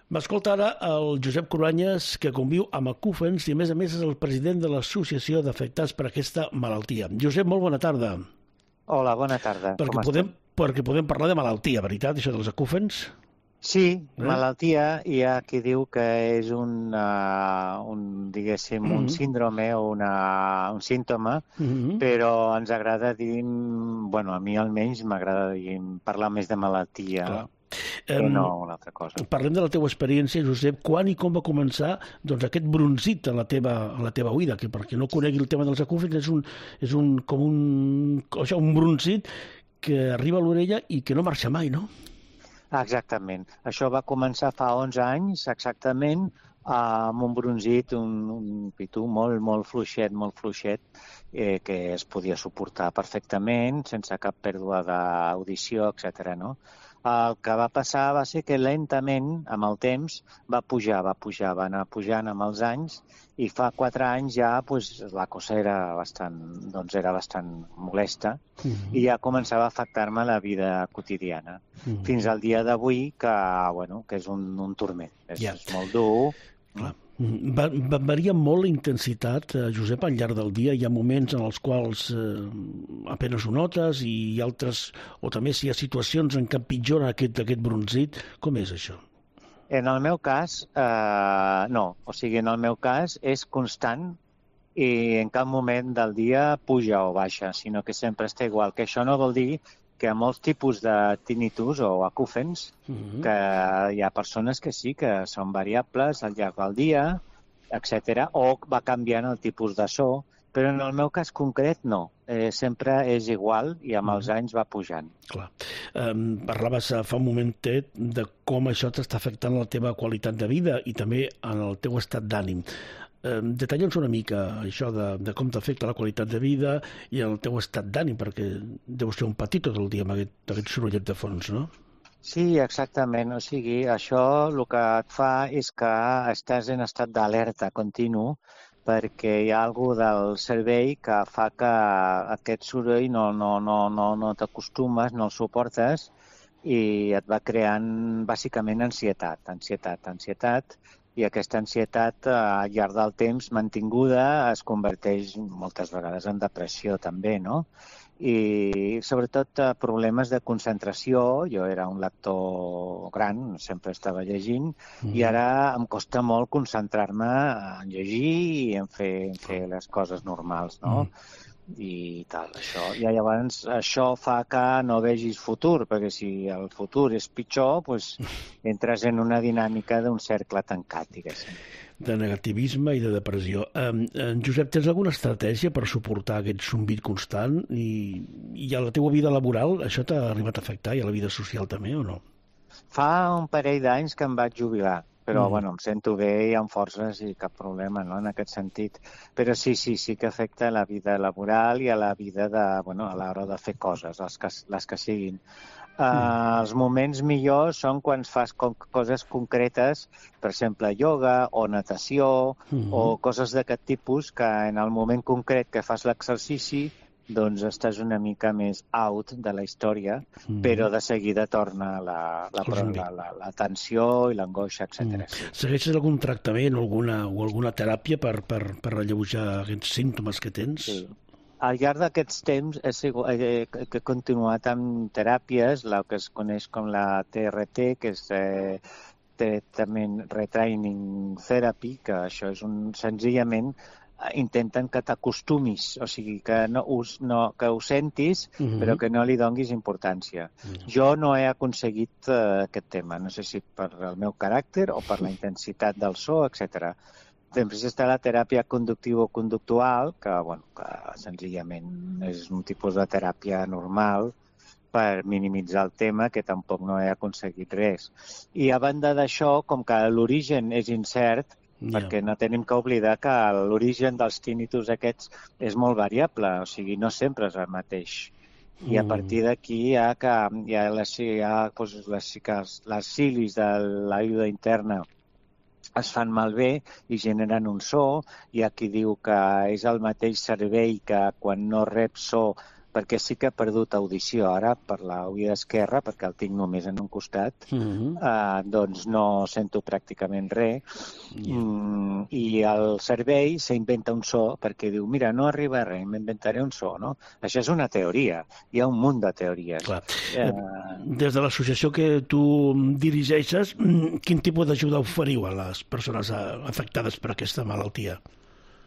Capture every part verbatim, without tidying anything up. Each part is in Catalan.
M'escolta ara el Josep Cruanyes, que conviu amb acúfens i, a més a més, és el president de l'Associació d'Afectats per aquesta malaltia. Josep, molt bona tarda. Hola, bona tarda. Perquè Com podem, estem? perquè podem parlar de malaltia, veritat, això dels acúfens? Sí, Eh? malaltia, hi ha qui diu que és un, uh, un diguéssim, un Mhm. síndrome o una, un símptoma, Mhm. però ens agrada dir, bueno, a mi almenys m'agrada dir, parlar més de malaltia Clar. que Em, no una altra cosa. Parlem de la teva experiència, Josep. Quan i com va començar doncs, aquest bronzit a la teva, a la teva oïda? Que perquè no conegui el tema dels acúfens, és un, és un, com un, això, un bronzit que arriba a l'orella i que no marxa mai, no? Exactament. Això va començar fa onze anys, exactament, amb un bronzit, un, un pitú molt, molt fluixet, molt fluixet, eh, que es podia suportar perfectament, sense cap pèrdua d'audició, etcètera, no? El que va passar va ser que lentament, amb el temps, va pujar, va pujar, va anar pujant amb els anys, i fa quatre anys ja pues, la cosa era bastant, doncs era bastant molesta, Mhm. i ja començava a afectar-me la vida quotidiana. Mhm. Fins al dia d'avui, que, bueno, que és un, un turment. És, Ja. és molt dur. Clar. Mm, Va, va, varia molt la intensitat, eh, Josep, al llarg del dia. Hi ha moments en els quals eh, apenes ho notes i altres, o també si hi ha situacions en què empitjora aquest, aquest bronzit. Com és això? En el meu cas, eh, no. O sigui, en el meu cas és constant i en cap moment del dia puja o baixa, sinó que sempre està igual. Que això no vol dir que hi ha molts tipus de tinnitus o acúfens, Mhm. que hi ha persones que sí, que són variables al llarg del dia, etcètera, o va canviant el tipus de so, però en el meu cas concret no. Eh, sempre és igual i amb els anys va pujant. Clar. Um, parlaves eh, fa un momentet de com això t'està afectant la teva qualitat de vida i també en el teu estat d'ànim. Um, detalla'ns una mica això de, de com t'afecta la qualitat de vida i el teu estat d'ànim, perquè deus ser un patir tot el dia amb aquest, aquest sorollet de fons, no? Sí, exactament. O sigui, això el que et fa és que estàs en estat d'alerta continu perquè hi ha alguna del cervell que fa que aquest soroll no, no, no, no, no t'acostumes, no el suportes i et va creant bàsicament ansietat, ansietat, ansietat, i aquesta ansietat eh, al llarg del temps mantinguda es converteix moltes vegades en depressió també, no? I sobretot eh, problemes de concentració. Jo era un lector gran, sempre estava llegint, mm. i ara em costa molt concentrar-me en llegir i en fer, en fer les coses normals, no? Mm. I tal, això. I llavors això fa que no vegis futur, perquè si el futur és pitjor, doncs entres en una dinàmica d'un cercle tancat, diguéssim. De negativisme i de depressió. Um, um, Josep, tens alguna estratègia per suportar aquest zumbit constant? I, i a la teua vida laboral això t'ha arribat a afectar i a la vida social també o no? Fa un parell d'anys que em vaig jubilar, però Mm. bueno, em sento bé i amb forces i cap problema, no?, en aquest sentit. Però sí, sí, sí que afecta la vida laboral i a la vida de, bueno, a l'hora de fer coses, les que, les que siguin. Uh, els moments millors són quan fas com, coses concretes, per exemple, ioga o natació Mm-hmm. o coses d'aquest tipus que en el moment concret que fas l'exercici doncs estàs una mica més out de la història, Mm. però de seguida torna la, la, El zumbit. la, la, la tensió i l'angoixa, etcètera. Mm. Sí. Segueixes algun tractament o alguna, o alguna teràpia per, per, per alleujar aquests símptomes que tens? Sí. Al llarg d'aquests temps he, sigut, he, he continuat amb teràpies, el que es coneix com la T R T, que és eh, Treatment Retraining Therapy, que això és un, senzillament intenten que t'acostumis, o sigui, que, no us, no, que ho sentis, Mm-hmm. però que no li donguis importància. Mm. Jo no he aconseguit uh, aquest tema, no sé si per el meu caràcter o per la intensitat del so, etcètera. Després està la teràpia conductivo-conductual, que, bueno, que senzillament és un tipus de teràpia normal per minimitzar el tema, que tampoc no he aconseguit res. I a banda d'això, com que l'origen és incert, Ja. perquè no tenim que oblidar que l'origen dels tinnitus aquests és molt variable, o sigui, no sempre és el mateix. I a partir d'aquí hi ha, que, hi ha, les, hi ha doncs, les, les cilis de l'ajuda interna es fan malbé i generen un so. Hi ha qui diu que és el mateix cervell que quan no rep so perquè sí que he perdut audició ara per l'oïda esquerra, perquè el tinc només en un costat, Mm-hmm. eh, doncs no sento pràcticament res. Yeah. Mm, I el cervell s'inventa un so perquè diu, mira, no arriba res, m'inventaré un so, no? Això és una teoria, hi ha un munt de teories. Clar. Eh, Des de l'associació que tu dirigeixes, quin tipus d'ajuda oferiu a les persones afectades per aquesta malaltia?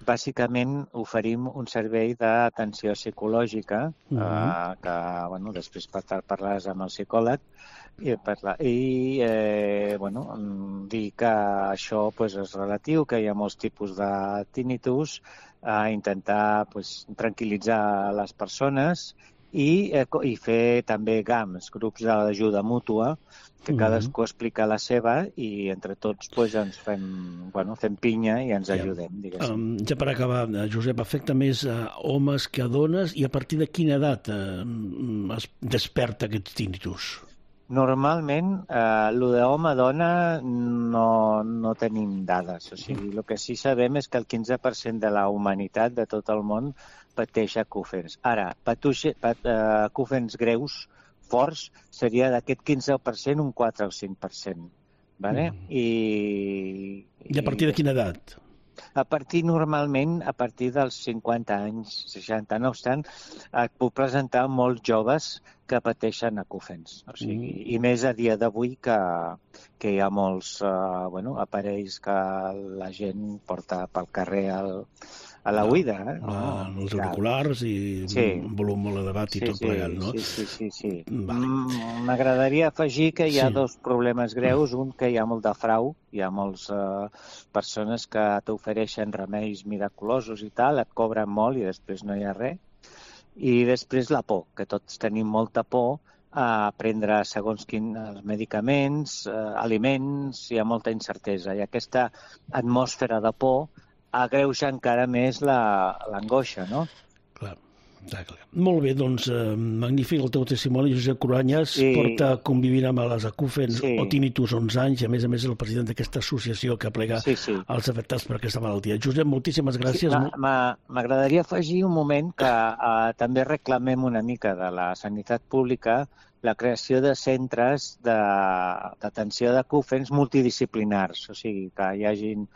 Bàsicament oferim un servei d'atenció psicològica, Mhm. eh, que bueno, després parlaràs amb el psicòleg, i, parla, i eh, bueno, mm, dir que això pues, és relatiu, que hi ha molts tipus de tinnitus, eh, intentar pues, tranquil·litzar les persones i, eh, co- i fer també GAMs, grups d'ajuda mútua, que Mhm. cadascú explica la seva i entre tots pues, ens fem, bueno, fem pinya i ens Ja. ajudem, diguéssim. Um, ja per acabar, eh, Josep, afecta més a homes que a dones i a partir de quina edat eh, es desperta aquest tinnitus? Normalment, eh, el d'home-dona no, no tenim dades. O sigui, el que sí sabem és que el quinze per cent de la humanitat de tot el món pateix acúfens. Ara, patuixe, pat, eh, acúfens greus, forts, seria d'aquest quinze per cent un quatre o cinc per cent. Vale? Mm. I, I a partir de quina edat? A partir, normalment, a partir dels cinquanta anys, seixanta, no obstant, et puc presentar molts joves que pateixen acúfens. O sigui, Mm. I més a dia d'avui que, que hi ha molts uh, bueno, aparells que la gent porta pel carrer al, a la oïda. Eh? La, No? els auriculars i Sí. un volum molt elevat i Sí, tot sí, plegat, no? sí, sí, sí, sí. Vale. Mm, M'agradaria afegir que hi ha Sí. dos problemes greus. Un, que hi ha molt de frau. Hi ha moltes uh, persones que t'ofereixen remeis miraculosos i tal, et cobren molt i després no hi ha res. I després la por, que tots tenim molta por a prendre segons quins medicaments, eh, aliments, hi ha molta incertesa. I aquesta atmosfera de por agreuja encara més la- l'angoixa, no? Clar, clar, clar. Molt bé, doncs, eh, magnífic el teu testimoni. Josep Cruanyes Sí. porta convivint amb les acúfens Sí. o tinnitus onze anys i, a més a més, és el president d'aquesta associació que aplega Sí, sí. els afectats per aquesta malaltia. Josep, moltíssimes gràcies. Sí, ma- ma- M'agradaria afegir un moment que eh, també reclamem una mica de la sanitat pública la creació de centres de- d'atenció d'acúfens multidisciplinars, o sigui, que hi hagin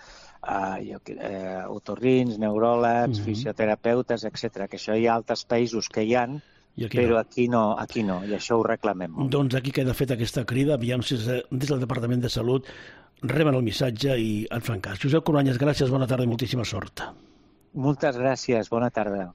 eh, jo, que- eh, otorrins, neuròlegs, Mhm. fisioterapeutes, etcètera. Que això hi ha altres països que hi han, I aquí però no. aquí no, aquí no, i això ho reclamem molt. Doncs aquí queda feta aquesta crida, aviam si des del Departament de Salut reben el missatge i en fan cas. Josep Cruanyes, gràcies, bona tarda i moltíssima sort. Moltes gràcies, bona tarda.